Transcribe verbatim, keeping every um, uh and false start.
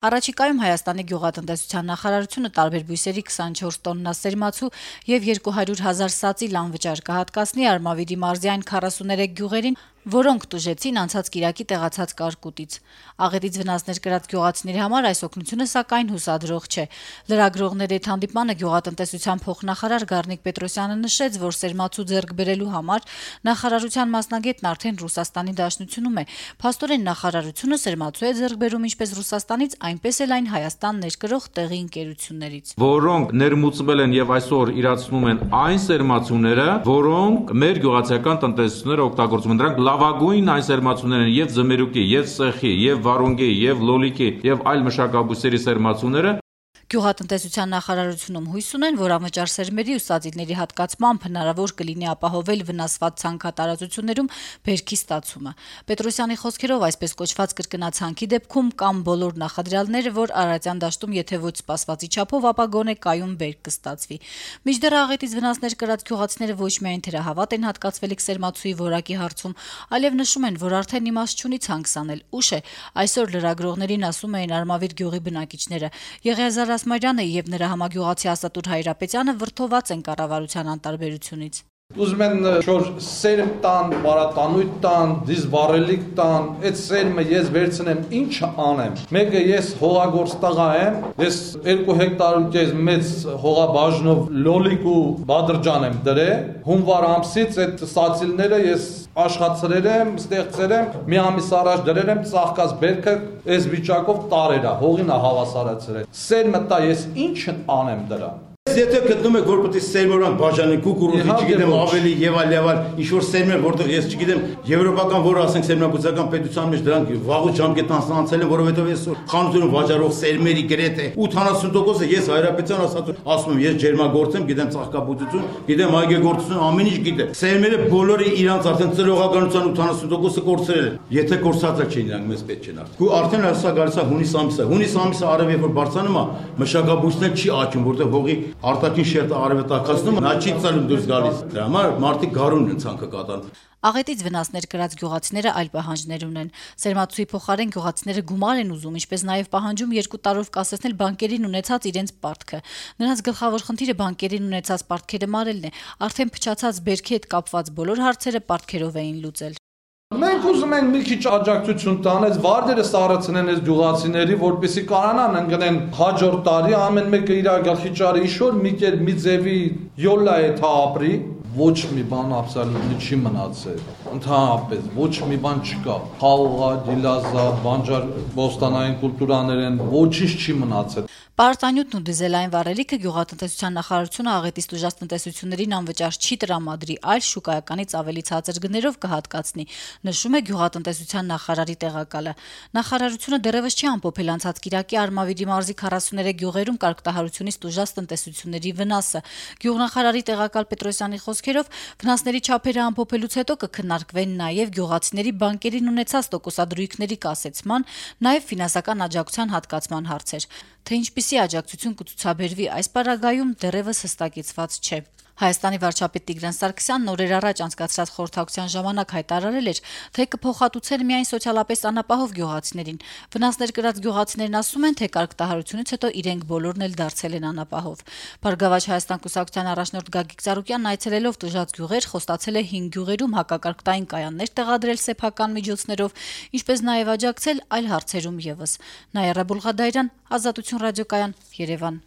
Առաջիկայում Հայաստանի գյուղատնտեսության նախարարությունը տարբեր բույսերի քսանչորս տոննա սերմացու եւ երկու հարյուր հազար սածի լանվճար կհատկացնի Արմավիրի մարզի այն քառասուներեք գյուղերին, որոնք տուժեցին անցած կիրակի տեղացած կարկուտից։ Աղետից վնասներ կրած գյուղացիների համար այս օգնությունը սակայն հուսադրող չէ։ Լրագրողների հետ հանդիպմանը գյուղատնտեսության փոխնախարար Գառնիկ Պետրոսյանը նշեց, որ սերմացու ձեռք բերելու համար նախարարության մասնագետն արդեն Ռուսաստանի Դաշնությունում է։ Փաստորեն նախարարությունը սերմացու է ձեռք բերում ինչպես Ռուսաստանից, այնպես էլ այն Հայաստան ներկրող տեղի ընկերություններից, որոնք ներմուծվել են եւ այսօր իրացնում են այն սերմացուները, որոնք մեր գյուղացիական տնտեսությունները օգտագործում են։ Դրանք լավագույն այն սերմացուներն են եւ ձմերուկի, եւ սեխի, եւ վարունգի, եւ լոլիկի, եւ այլ մշակաբույսերի սերմացուները։ Գյուղատնտեսության նախարարությունում հույս ունեն, որ անվճար սերմերի ու սածիների հատկացմամբ հնարավոր կլինի ապահովել վնասված ցանքատարածություններում բերքի ստացումը։ Պետրոսյանի խոսքերով այսպես կոչված կրկնացանքի դեպքում կամ բոլոր նախադրյալները, որ Արարատյան դաշտում եթե ոչ սպասվածի չափով, ապա գոնե կայուն բերք կստացվի։ Մինչդեռ աղետից վնասներ կրած գյուղացիները ոչ միայն թերահավատ են հատկացվելիք սերմացուի որակի հարցում, այլև նշում են, որ արդեն իմաստ չունի ցանկ սանել։ Ուշ է, այսօր լրագրողներին ասում էին Արմավիր գյուղի բնակիչները։ Եղիազար Ասմարյանը եւ նրա համագյուղացի Ասատուր Հայրապետյանը վրդոված են կառավարության անտարբերությունից։ Ուզում են շոր սերմ տան, բարատանույթ տան, դիզ վառելիք տան, այդ սերմը ես վերցնեմ, ինչ անեմ։ Մեկը ես հողագործ տղա եմ, ես երկու հեկտար ու կես մեծ հողաբաժնով լոլիկ ու բադրջան եմ դրել, հունվար ամսից այդ սածիլները ես աշխատել եմ, ստեղծել եմ, մի ամիս առաջ դրել եմ, ծաղկած բերքը այս վիճակով տարերա, հողին է հավասարացրել։ Սերմը տա ես ինչ անեմ դրա։ Եթե գտնում եք, որ պետք է սերմորան բաժանի կուկուրուզի, չգիտեմ, ավելի եւ այլ եւ այլ, ինչ որ սերմեր, որտեղ ես չգիտեմ, եվրոպական որ ասենք սերմնաբուծական պետության մեջ դրանք վաղուց ժամկետանց անցել են, որովհետեւ այսօր խանութներում վաճառող սերմերի գրեթե ութանասուն տոկոսը ես Հայրապետյան ասած ասում եմ, ես ջերմագործ եմ, գիտեմ ծաղկաբուծություն, գիտեմ այգեգործություն, ամեն ինչ գիտեմ։ Սերմերը բոլորը իրանց արդեն ծրողականության ութանասուն տոկոսը կորցրել են։ Եթե կորցածակ չէին իրանք մեզ պետք չեն արդեն։ Ու արդեն հեսա գալիս է հունիս ամիսը։ Հունիս ամիսը արև երբ որ բարձանում է, մշակաբույսն չի աճում, որտեղ հողի արտաքին շերտը արևետակացնում, նա չի ցալում դուրս գալիս։ Դրա համար մարդիկ գարուն են ցանկը կատարում։ Աղետից վնասներ կրած գյուղացիները այլ պահանջներ ունեն։ Սերմացուի փոխարեն գյուղացիները գումար են ուզում, ինչպես նաև պահանջում երկու տարով կասեցնել բանկերին ունեցած իրենց պարտքը։ Նրանց գլխավոր խնդիրը բանկերին ունեցած պարտքերը մարելն է։ Արդեն փչացած բերքի հետ կապված բոլոր հարցերը պարտքերով էին լուծել։ Մենք ուզում ենք մի քիչ աջակցություն տան, այս վարդերը սառեցնեն այս գյուղացիների, որպեսզի կարողանան ընկնեն հաջորդ տարի ամեն մեկը իր գլխի ճարը իշոր մի կեր մի ձևի յոլա է թա ապրի, ոչ մի բան աբսոլյուտնի չի մնացել։ Ընդհանրապես ոչ մի բան չկա։ Խաղողա, դիլազա, բանջար բոստանային կուլտուրաներեն ոչինչ չի մնացել։ Պարտանյութն ու դիզելային վառելիքը գյուղատնտեսության նախարարությունը աղետից տուժած տնտեսություններին անվճար չի տրամադրի, այլ շուկայականից ավելի ցածր գներով կհատկացնի, նշում է գյուղատնտեսության նախարարի տեղակալը։ Նախարարությունը դեռևս չի ամփոփել անցած կիրակի Արմավիրի մարզի քառասուներեք գյուղերում կարգտահարությունից տուժած տնտեսությունների վնասը։ Գյուղնախարարի տեղակալ Պետրոսյանի խոսքերով վնասների չափերը ամփոփելուց հետո կքննարկվեն նաև գյուղացիների բանկերին ունեցած տոկոսադրույքների կասեցման, նաև ֆինանսական աջակցության հատկացման հարցեր։ Թե ինչպիսի աջակցություն կցուցաբերվի այս պարագայում դեռևս հստակեցված չէ։ Հայաստանի վարչապետ Տիգրան Սարգսյանն օրեր առաջ անցկացրած խորհրդակցության ժամանակ հայտարարել էր, թե կփոխհատուցեն միայն սոցիալապես անապահով գյուղացիներին։ Վնասներ կրած գյուղացիներն ասում են, թե կարգտահարությունից հետո իրենք բոլորն էլ դարձել են անապահով։ Բարգավաճ Հայաստան կուսակցության առաջնորդ Գագիկ Ծառուկյանն այցելելով տուժած գյուղեր խոստացել է հինգ գյուղերում հակակարգտային կայաններ տեղադրել սեփական միջոցներով, ինչպես նաև աջակցել այլ հարցերում եւս։ Նայիրա Բուլղադայրյան, Ազատություն ռադիոկայան, Երևան։